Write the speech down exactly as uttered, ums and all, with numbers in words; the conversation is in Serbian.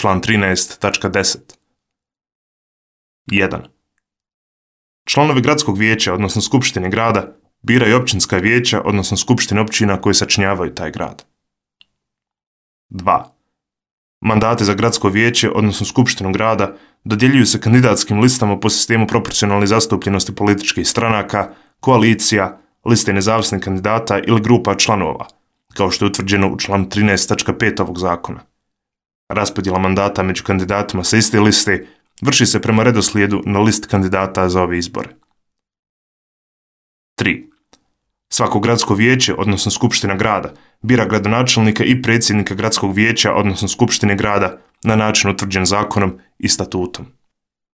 Član trinaest tačka deset. jedan. Članovi gradskog vijeća, odnosno skupštine grada, biraju općinska vijeća, odnosno skupštine općina koji sačinjavaju taj grad. dva. Mandate za gradsko vijeće, odnosno skupštinu grada, dodjeljuju se kandidatskim listama po sistemu proporcionalne zastupljenosti političkih stranaka, koalicija, liste nezavisnih kandidata ili grupa članova, kao što je utvrđeno u članu trinaest tačka pet ovog zakona. Raspodjela mandata među kandidatima sa iste liste vrši se prema redoslijedu na listi kandidata za ove izbore. tri. Svako gradsko vijeće, odnosno skupština grada, bira gradonačelnika i predsjednika gradskog vijeća, odnosno skupštine grada, na način utvrđen zakonom i statutom.